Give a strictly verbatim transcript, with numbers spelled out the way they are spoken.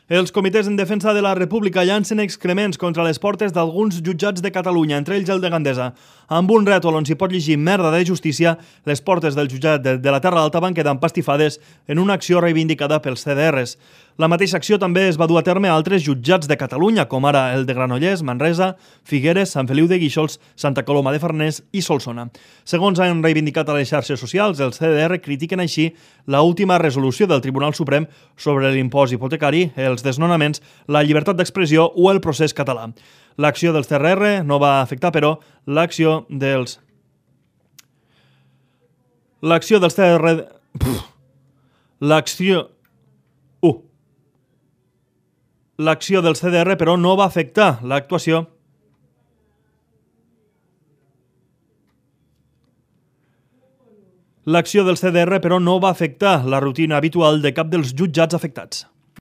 Els comitès en defensa de la República llancen excrements contra les portes d'alguns jutjats de Catalunya, entre ells el de Gandesa. Amb un rètol on s'hi pot llegir merda de justícia, les portes del jutjat de, de la Terra Alta van quedar empastifades en una acció reivindicada pels C D Rs. La mateixa acció també es va dur a terme a altres jutjats de Catalunya, com ara el de Granollers, Manresa, Figueres, Sant Feliu de Guíxols, Santa Coloma de Farners i Solsona. Segons han reivindicat a les xarxes socials, els C D R critiquen així la última resolució del Tribunal Suprem sobre l'impost hipotecari, els desnonaments, la llibertat d'expressió o el procés català. L'acció dels C D R no va afectar, però, l'acció dels... L'acció dels C D R... L'acció... Uh. L'acció del C D R, però, no va afectar l'actuació L'acció del C D R, però, no va afectar la rutina habitual de cap dels jutjats afectats.